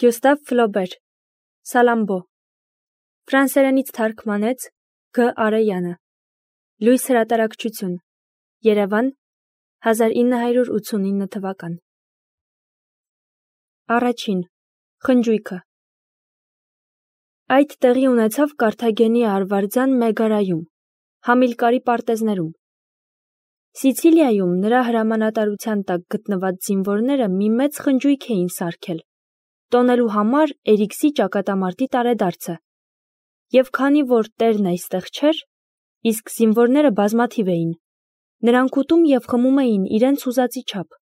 Գյուստավ Ֆլոբեր, Սալամբո, ֆրանսերենից թարգմանեց Գ. Արեյանը, Լույս հրատարակչություն, Երևան, 1989 թվական։ Առաջին, խնջույքը։ Այդ տեղի ունեցավ Կարթագենի արվարձան Մեգարայում, Համիլկարի պարտեզներում։ Սիցիլիայում նրա հրամանատարության տակ գտնված զինվորները մի մեծ խնջույք էին սարքել, տոնելու համար Էրիքսի ճակատամարտի տարեդարձը, և քանի որ տերն այստեղ չէր, իսկ զինվորները բազմաթիվ էին, նրանք ուտում և խմում էին իրենց ուզածի չափ։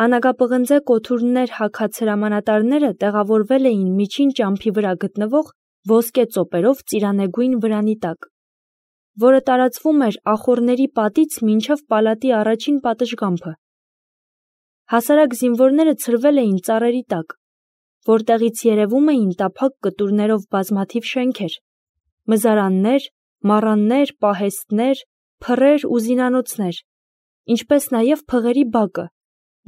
Անագապղնձե կոթուրներ հագած հրամանատարները տեղավորվել էին միջին ճամփի վրա գտնվող ոսկե ծոպերով ծիրանեգույն վրանի տակ, որը տարածվում էր ախոռների պատից մինչև պալատի առաջին պատշգամբը։ Հասարակ զինվորները ցրվել էին ծառերի տակ, որտեղից երևում էին տափակ կտուրներով բազմաթիվ շենքեր, մզարաններ, մառաններ, պահեստներ, փռեր ու զինանոցներ, ինչպես նաև փղերի բակը,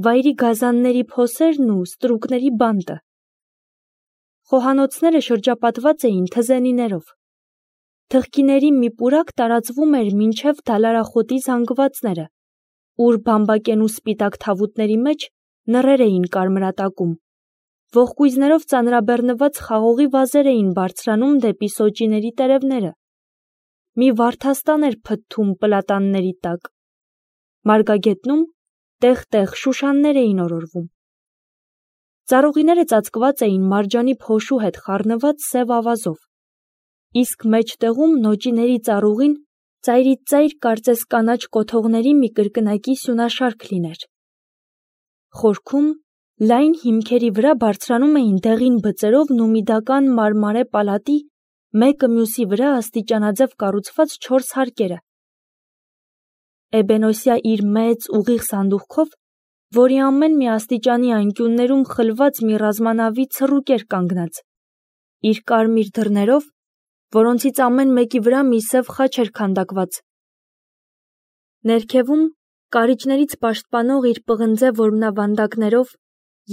վայրի գազանների փոսերն ու ստրուկների բանտը։ Խոհանոցները շրջապատված էին թզենիներով։ Թղկիների մի պուրակ տարածվում էր մինչև դալարախոտի զանգվածները, ուր բամբակենու սպիտակ թավուտների մեջ նռեր էին կարմրատակում, ողկույզներով ծանրաբեռնված խաղողի վազեր էին բարձրանում դեպի սոճիների տերևները։ Մի վարդաստան էր փթթում պլատանների տակ։ Մարգագետնում տեղ-տեղ շուշաններ էին օրորվում։ Ծառուղիները ծածկված էին մարջանի փոշու հետ խառնված սև ավազով, իսկ մեջտեղում նոճիների ծառուղին ծայրից ծայր կարծես կանաչ կոթողների մի կրկնակի սյունաշարք լիներ։ Խորքում լայն հիմքերի վրա բարձրանում էին դեղին բծերով նումիդական մարմարե պալատի մեկը մյուսի վրա աստիճանաձև կառուցված 4 հարկերը։ Էբենոսյա իր մեծ ուղիղ սանդուղքով, որի ամեն մի աստիճանի անկյուններում խլված մի ռազմանավի ցռուկ էր կանգնած, իր կարմիր դռներով, որոնցից ամեն մեկի վրա մի սև խաչ էր քանդակված։ Ներքևում կարիճներից պաշտպանող իր պղնձե որմնավանդակներով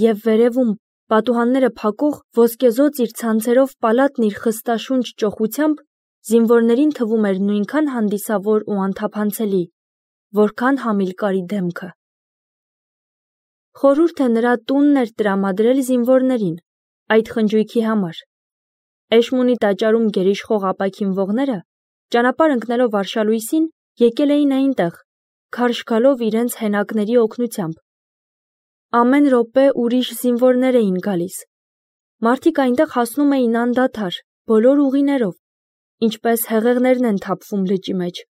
և վերևում պատուհանները փակող ոսկեզոծ իր ցանցերով պալատն իր խստաշունչ ճոխությամբ զինվորներին թվում էր նույնքան հանդիսավոր ու անթափանցելի, որքան Համիլկարի դեմքը։ Խորհուրդը նրա տունն էր տրամադրել զինվորներին այդ խնջույքի համար։ Էշմունի տաճարում գերիշխող ապաքինվողները, ճանապարհ ընկնելով արշալույսին, եկել էին այնտեղ, քարշ գալով իրենց հենակների օգնությամբ։ Ամեն րոպե ուրիշ զինվորներ էին գալիս։ Մարդիկ այնտեղ հասնում էին անդադար, բոլոր ուղիներով, ինչպես հեղեղներն են թափվում լճի մեջ։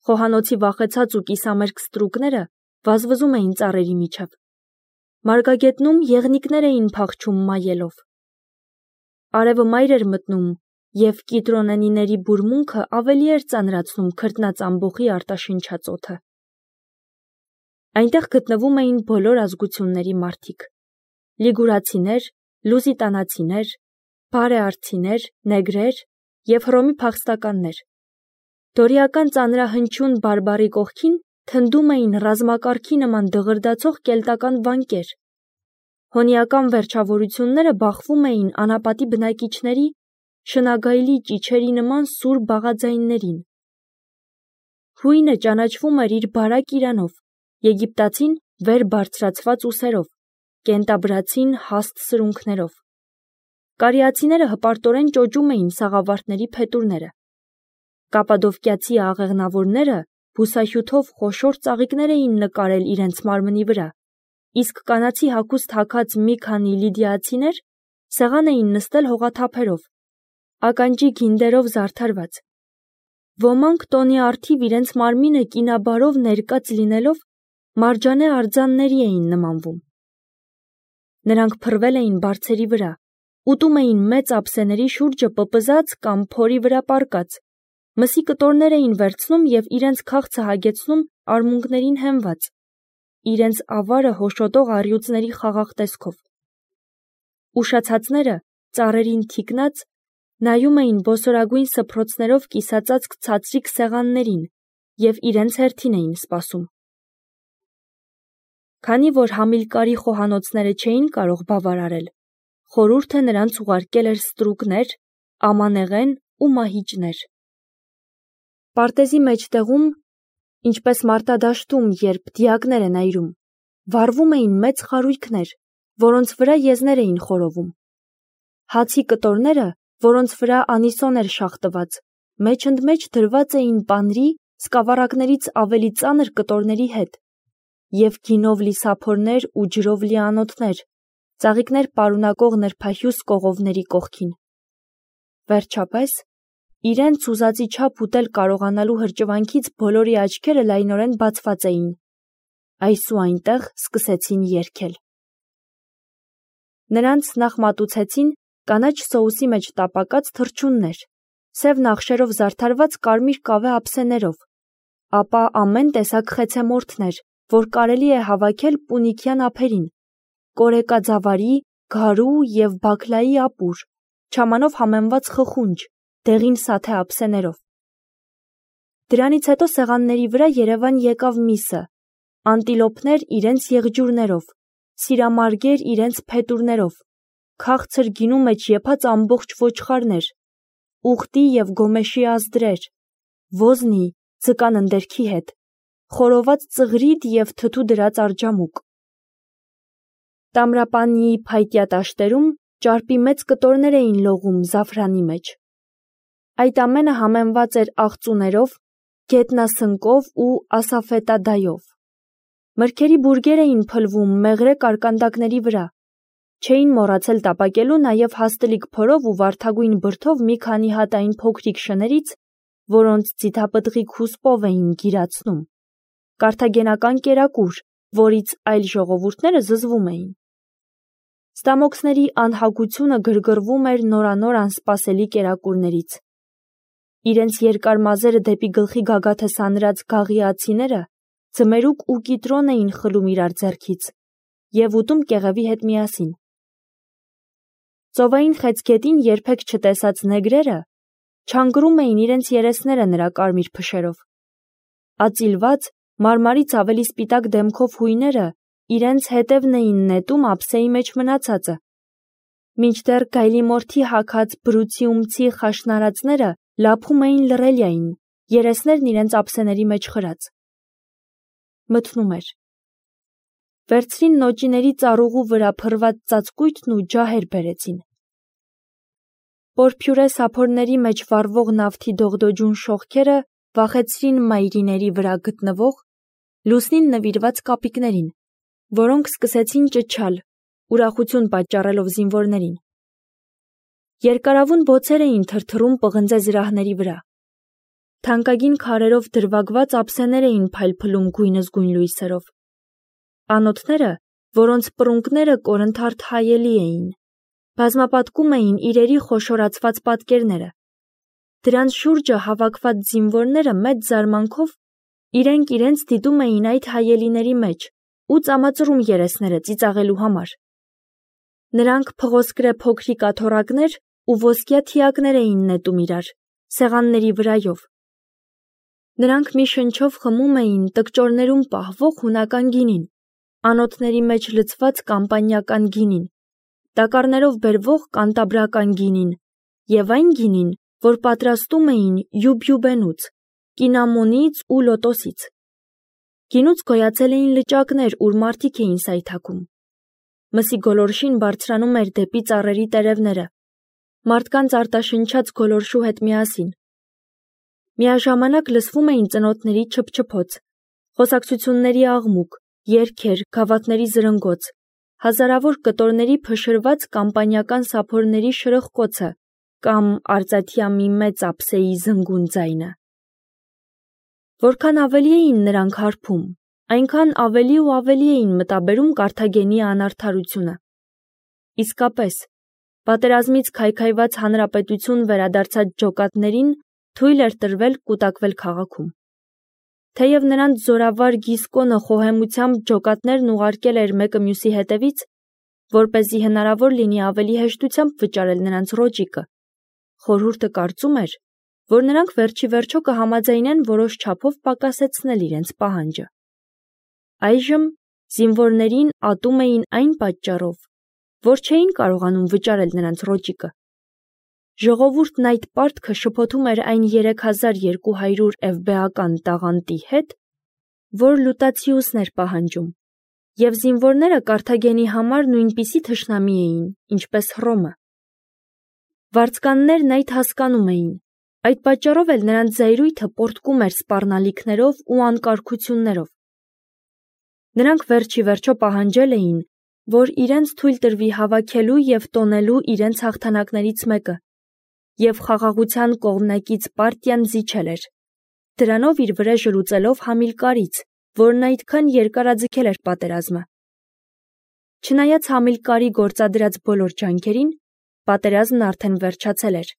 Խոհանոցի վախեցած ու կիսամերկ ստրուկները վազվզում էին ծառերի միջև։ Մարգագետնում եղնիկներ էին փախչում մայելով։ Արևը մայր էր մտնում, և կիտրոնենիների բուրմունքը ավելի էր ծանրացնում քրտնած ամբոխի արտաշնչած օդը։ Այնտեղ գտնվում էին բոլոր ազգությունների մարդիկ՝ լիգուրացիներ, լուզիտանացիներ, բարեարցիներ, նեգրեր և Հռոմի փախստականներ։ Դորիական ծանրահնչյուն բարբառի կողքին թնդում էին ռազմակարգի նման դղրդացող կելտական վանքեր։ Հոնիական վերջավորությունները բախվում էին անապատի բնակիչների շնագայլի ճիչերի նման սուր բաղաձայններին։ Հույնը ճանաչվում էր իր բարակ իրանով, եգիպտացին վեր բարձրացված ուսերով, կենտաբրացին հաստ սրունքներով։ Կարիացիները հպարտորեն ճոճում էին սաղավարտների փետուրները։ Կապադովկիացի աղեղնավորները բուսահյութով խոշոր ծաղիկներ էին նկարել իրենց մարմնի վրա, իսկ կանացի հագուստ հագած մի քանի լիդիացիներ սեղան էին նստել հողաթափերով, ականջի գինդերով զարդարված։ Ոմանք տոնի առթիվ իրենց մարմինը կինաբարով ներկած լինելով մարջանե արձանների էին նմանվում։ Նրանք փռվել էին բարձերի վրա, ուտում էին մեծ ափսեների շուրջը պպզած կամ փորի վրա պառկած, մսի կտորներ էին վերցնում և իրենց քաղցը հագեցնում արմունկներին հենված, իրենց ավարը հոշոտող առյուծների խաղաղ տեսքով։ Ուշացածները, ծառերին թիկնած, նայում էին բոսորագույն սփռոցներով կիսածածկ ցածրիկ սեղաններին և իրենց հերթին էին սպասում։ Քանի որ Համիլկարի խոհանոցները չէին կարող բավարարել, խորհուրդը նրանց ուղարկել էր ստրուկներ, ամանեղեն ու մահիճներ։ Պարտեզի մեջտեղում, ինչպես մարտադաշտում, երբ դիակներ են այրում, վառվում էին մեծ խարույկներ, որոնց վրա եզներ էին խորովում։ Հացի կտորները, որոնց վրա անիսոն էր շաղտված, մեջընդմեջ դրված էին պանրի սկավառակներից ավելի ծանր կտորների հետ, և գինով լի սափորներ ու ջրով լի անոթներ, ծաղիկներ պարունակող նրբահյուս կողովների կողքին։ Վերջապես, իրենց ուզածի չափ ուտել կարողանալու հրճվանքից բոլորի աչքերը լայնորեն բացված էին, այս ու այնտեղ սկսեցին երգել։ Նրանց նախ մատուցեցին կանաչ սոուսի մեջ տապակած թռչուններ, սև նախշերով զարդարված կարմիր կավե ափսեներով, ապա ամեն տեսակ խեցեմորթներ, որ կարելի է հավաքել պունիկյան ափերին, կորեկաձավարի, գարու և բաքլայի ապուր, չամանով համեմված խխունջ, դեղին սաթե ափսեներով։ Դրանից հետո սեղանների վրա երևան եկավ միսը, անտիլոպներ իրենց եղջյուրներով, սիրամարգեր իրենց փետուրներով, քաղցր գինու մեջ եփած ամբողջ ոչխարներ, ուղտի և գոմեշի ազդրեր, ոզնի, ձկան ընդերքի հետ, խորոված ծղրիդ և թթու դրած արջամուկ։ Տամրապանիի փայտյա տաշտերում ճարպի մեծ կտորներ էին լողում զաֆրանի մեջ։ Այդ ամենը համեմված էր աղծուներով, գետնասնկով ու ասաֆետադայով։ Մրգերի բուրգեր էին փլվում մեղրե կարկանդակների վրա, չէին մոռացել տապակելու նաև հաստլիկ փորով ու վարդագույն բրդով մի քանի հատ այն փոքրիկ շներից, որոնց ձիթապտղիկ հուսպով էին գիրացնում, կարթագենական կերակուր, որից այլ ժողովուրդները զզվում էին։ Ստամոքսների անհագությունը գրգռվում էր նորանոր անսպասելի կերակուրներից։ Իրենց երկար մազերը դեպի գլխի գագաթը սանրած գաղիացիները ձմերուկ ու կիտրոն էին խլում իրար ձեռքից և ուտում կեղևի հետ միասին։ Ծովային խեցգետին երբեք չտեսած նեգրերը չանգրում էին իրենց երեսները նրա կարմիր փշերով։ Ածիլված, մարմարից ավելի սպիտակ դեմքով հույները իրենց հետևն էին նետում ափսեի մեջ մնացածը, մինչդեռ գայլիմորթի հագած բրուցիումցի խաշնարածները լափում էին լռելիային, երեսներն իրենց ափսեների մեջ խրած։ Մթնում էր։ Վերցրին նոճիների ծառուղու վրա փռված ծածկույթն ու ջահեր բերեցին։ Պորփյուրե սափորների մեջ վառվող նավթի դողդոջուն շողքերը վախեցրին մայրիների վրա գտնվող, լուսնին նվիրված կապիկներին, որոնք սկսեցին ճչալ, ուրախություն պատճառելով զինվորներին։ Երկարավուն բոցեր էին թրթռում պղնձե զրահների վրա։ Թանկագին քարերով դրվագված ափսեներ էին փայլփլում գույնզգույն լույսերով։ Անոթները, որոնց պռունգները կորնթարթ հայելի էին, բազմապատկում էին իրերի խոշորացված պատկերները։ Դրանց շուրջը հավաքված զինվորները մեծ զարմանքով իրենք իրենց դիտում էին այդ հայելիների մեջ ու ծամածռում երեսները ծիծաղելու համար։ Նրանք փղոսկրե փոքրիկ աթոռակներ ու ոսկյա թիակներ էին նետում իրար, սեղանների վրայով։ Նրանք մի շնչով խմում էին տկճորներում պահվող հունական գինին, անոթների մեջ լցված կամպանիական գինին, տակառներով բերվող կանտաբրական գինին և այն գինին, որ պատրաստում էին յուբյուբենուց, կինամոնից ու լոտոսից։ Գինուց գոյացել էին լճակներ, ուր մարդիկ էին սայթաքում։ Մսի գոլորշին բարձրանում էր դեպի ծառերի տերևները, մարդկանց արտաշնչած գոլորշու հետ միասին։ Միաժամանակ լսվում էին ծնոտների չփչփոց, խոսակցությունների աղմուկ, երգեր, գավաթների զրնգոց, հազարավոր կտորների փշրված կամպանիական սափորների շրխկոցը կամ արծաթյա մի մեծ ափսեի զնգուն ձայնը։ Որքան ավելի էին նրանք հարբում, այնքան ավելի ու ավելի էին մտաբերում Կարթագենի անարդարությունը։ Իսկապես, պատերազմից քայքայված հանրապետություն վերադարձած ջոկատներին թույլ էր տրվել կուտակվել քաղաքում։ Թեև նրանց զորավար Գիսկոնը խոհեմությամբ ջոկատներն ուղարկել էր մեկը մյուսի հետևից, որպեսզի հնարավոր լինի ավելի հեշտությամբ վճարել նրանց ռոճիկը, խորհուրդը կարծում էր, որ նրանք վերջիվերջո կհամաձայնեն որոշ չափով պակասեցնել իրենց պահանջը։ Այժմ զինվորներին ատում էին այն պատճառով, որ չէին կարողանում վճարել նրանց ռոճիկը։ Ժողովուրդն այդ պարտքը շփոթում էր այն 3200 էվբեական տաղանդի հետ, որ Լուտացիուսն էր պահանջում, և զինվորները Կարթագենի համար նույնպիսի թշնամի էին, ինչպես Հռոմը։ Վարձկաններն այդ հասկանում էին, այդ պատճառով էլ նրանց զայրույթը պոռթկում էր սպառնալիքներով ու անկարգություններով։ Նրանք վերջի վերջո պահանջել էին, որ իրենց թույլ տրվի հավաքելու և տոնելու իրենց հաղթանակներից մեկը, և խաղաղության կողմնակից պարտիան զիջել էր, դրանով իր վրեժը լուծելով Համիլկարից, որն այդքան երկարաձգել էր պատերազմը։ Չնայած Համիլկարի գործադրած բոլոր ջանքերին, պատերազմն արդեն վերջացել էր,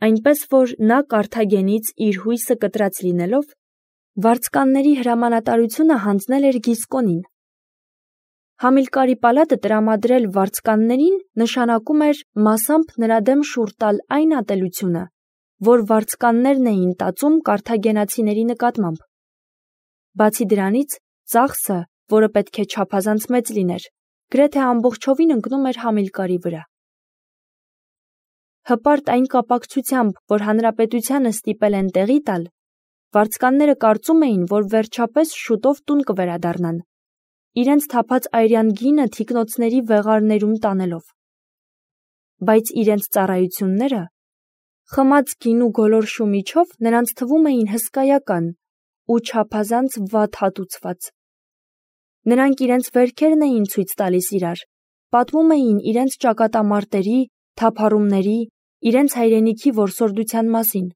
այնպես որ նա Կարթագենից իր հույսը կտրած լինելով, վարձկանների հրամանատարությունը հանձնել էր Գիսկոնին։ Համիլկարի պալատը տրամադրել վարձկաններին նշանակում էր մասամբ նրա դեմ շուռ տալ այն ատելությունը, որ վարձկաններն էին տածում կարթագենացիների նկատմամբ։ Բացի դրանից, ծախսը, որը պետք է չափազանց մեծ լիներ, գրեթե ամբողջովին ընկնում էր Համիլկարի վրա։ Հպարտ այն կապակցությամբ, որ հանրապետությանը ստիպել են տեղի տալ, վարձկանները կարծում էին, որ վերջապես շուտով տուն կվերադառնան, իրենց թափած այրյան գինը թիկնոցների վեղարներում տանելով։ Բայց իրենց ծառայությունները, խմած գինու գոլորշու միջով նրանց թվում էին հսկայական ու չափազանց վատ հատուցված։ Նրանք իրենց վերքերն էին ցույց տալիս իրար, պատմում էին իրենց ճակատամարտերի, թափառումների, իրենց հայրենիքի որսորդության մասին։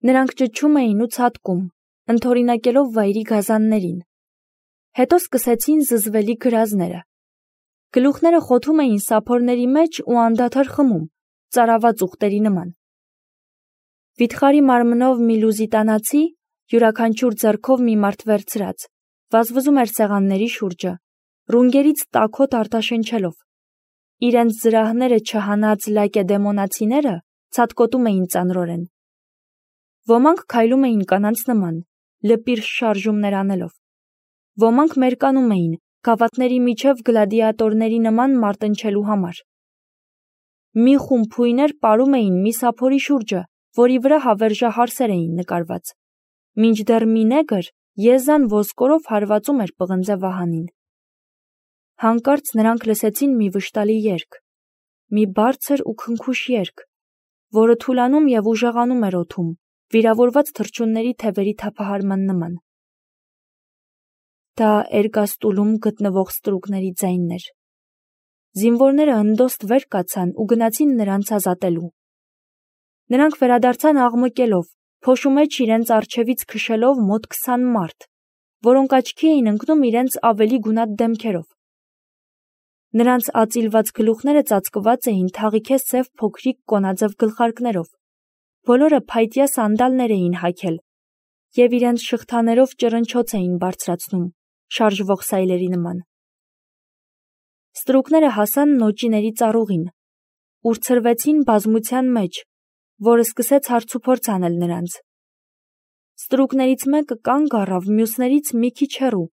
Նրանք ճչում էին ու ցատկում, ընդօրինակելով վայրի գազաններին։ Հետո սկսեցին զզվելի գրազները։ Գլուխները խոթում էին սափորների մեջ ու անդադար խմում, ծարաված ուղտերի նման։ Վիթխարի մարմնով մի լուզիտանացի, յուրաքանչյուր ձեռքով մի մարդ վերցրած, վազվզում էր սեղանների շուրջը, ռունգերից տաքոտ արտաշնչելով։ Իրենց զրահները չհանած լակեդեմոնացիները ցատկոտում էին ծանրորեն։ Ոմանք քայլում էին կանանց նման, լպիր շարժումներ անելով։ Ոմանք մերկանում էին, գավաթների միջև գլադիատորների նման մարտնչելու համար։ Մի խումբ հույներ պարում էին մի սափորի շուրջը, որի վրա հավերժահարսեր էին նկարված, մինչդեռ մի նեգր եզան ոսկորով հարվածում էր պղնձե վահանին։ Հանկարծ նրանք լսեցին մի վշտալի երգ, մի բարձր ու քնքուշ երգ, որը թուլանում և ուժեղանում էր օդում, վիրավորված թռչունների թևերի թափահարման նման։ Դա Էրգաստուլում գտնվող ստրուկների ձայնն էր։ Զինվորները հնդոստ վեր կացան ու գնացին նրանց ազատելու։ Նրանք վերադարձան աղմկելով, փոշու մեջ իրենց առջևից քշելով մոտ 20 մարդ, որոնք աչքի էին ընկնում իրենց ավելի գունատ դեմքերով։ Նրանց ածիլված գլուխները ծածկված էին թաղիքե սև փոքրիկ կոնաձև գլխարկներով, բոլորը փայտյա սանդալներ էին հագել և իրենց շղթաներով ճռնչոց էին բարձրացնում, շարժվող սայլերի նման։ Ստրուկները հասան նոճիների ծառուղին, ուր ցրվեցին բազմության մեջ, որը սկսեց հարցուփորձ անել նրանց։ Ստրուկներից մեկը կանգ առավ մյուսներից մի քիչ հեռու,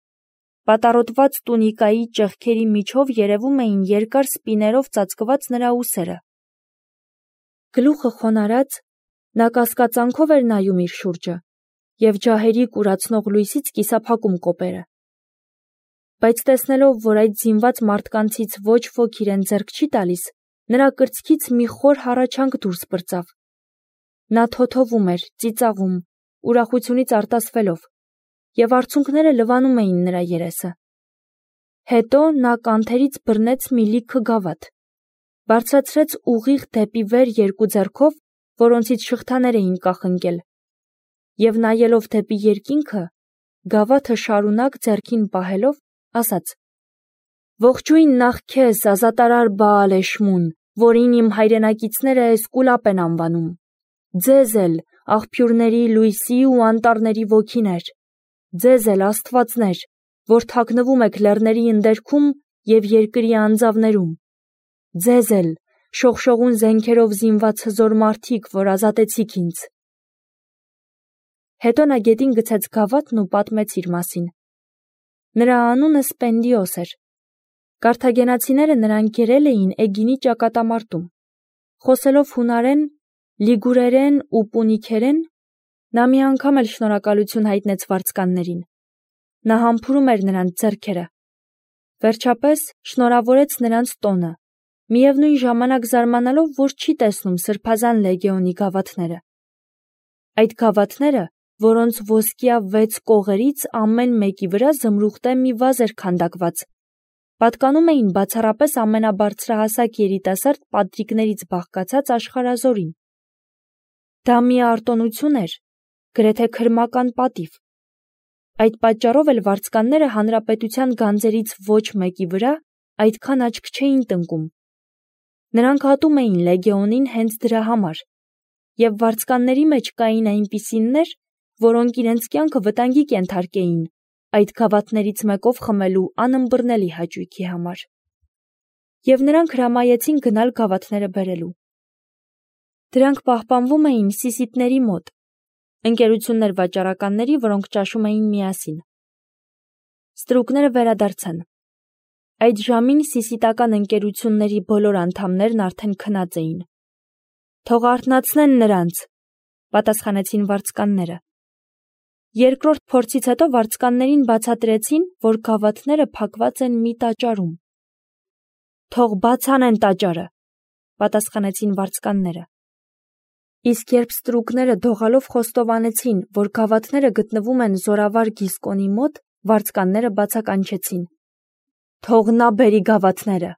պատառոտված տունիկայի ճեղքերի միջով երևում էին երկար սպիներով ծածկված նրա ուսերը։ Գլուխը խոնարհած, նա կասկածանքով էր նայում իր շուրջը և ջահերի կուրացնող լույսից կիսափակում կոպերը։ Բայց տեսնելով, որ այդ զինված մարդկանցից ոչ ոք իրեն ձեռք չի տալիս, նրա կրծքից մի խոր հառաչանք դուրս պրծավ։ Նա թոթովում էր, ծիծաղում, ուրախությունից արտասվելով, և արցունքները լվանում էին նրա երեսը։ Հետո նա կանթերից բռնեց մի լիքը գավաթ, բարձրացրեց ուղիղ դեպի վեր երկու ձեռքով, որոնցից շղթաներ էին կախնկել, և նայելով դեպի երկինքը, գավաթը շարունակ ձեռքին պահելով, ասաց. «Ողջույն նախ քեզ, ազատարար Բաալ-Էշմուն, որին իմ հայրենակիցները Էսկուլապ են անվանում, ձեզ էլ, աղբյուրների, լույսի ու անտառների ոգիներ, ձեզ էլ, աստվածներ, որ թաքնվում եք լեռների ընդերքում և երկրի անձավներում, ձեզ էլ, շողշողուն զենքերով զինված հզոր մարդիկ, որ ազատեցիք ինձ»։ Հետո նա գետին գցեց գավաթն ու պատմեց իր մասին։ Նրա անունը Սպենդիոս էր։ Կարթագենացիները նրան գերել էին Էգինի ճակատամարտում։ Խոսելով հունարեն, լիգուրերեն ու պունիկերեն, նա մի անգամ էլ շնորհակալություն հայտնեց վարձկաններին։ Նա համբուրում էր նրանց ձեռքերը։ Վերջապես շնորհավորեց նրանց տոնը, միևնույն ժամանակ զարմանալով, որ չի տեսնում սրբազան լեգիոնի գավաթները։ Այդ գավաթները, որոնց ոսկյա 6 կողերից ամեն մեկի վրա զմրուխտե մի վազ էր քանդակված, պատկանում էին բացառապես ամենաբարձրահասակ երիտասարդ պատրիկներից բաղկացած աշխարհազորին։ Դա մի արտոնություն էր, գրեթե քրմական պատիվ։ Այդ պատճառով էլ վարձկանները հանրապետության գանձերից ոչ մեկի վրա այդքան աչք չէին տնկում։ Նրանք ատում էին լեգիոնին հենց դրա համար, և վարձկանների մեջ կային այնպիսիններ, որոնք իրենց կյանքը վտանգի կենթարկեին այդ գավաթներից մեկով խմելու անըմբռնելի հաճույքի համար։ Եվ նրանք հրամայեցին գնալ գավաթները բերելու։ Դրանք պահպանվում էին սիսիպների մոտ, ընկերություններ վաճառականների, որոնք ճաշում էին միասին։ Ստրուկները վերադարձան։ Այդ ժամին սիսիտական ընկերությունների բոլոր անդամներն արդեն քնած էին։ «Թող արթնացնեն նրանց», պատասխանեցին վարձկանները։ Երկրորդ փորձից հետո վարձկաններին բացատրեցին, որ գավաթները փակված են մի տաճարում։ «Թող բաց անեն տաճարը», պատասխանեցին վարձկանները։ Իսկ երբ ստրուկները դողալով խոստովանեցին, որ գավաթները գտնվում են զորավար Գիսկոնի մոտ, վարձկանները բացականչեցին. «Թող նա բերի գավաթները»։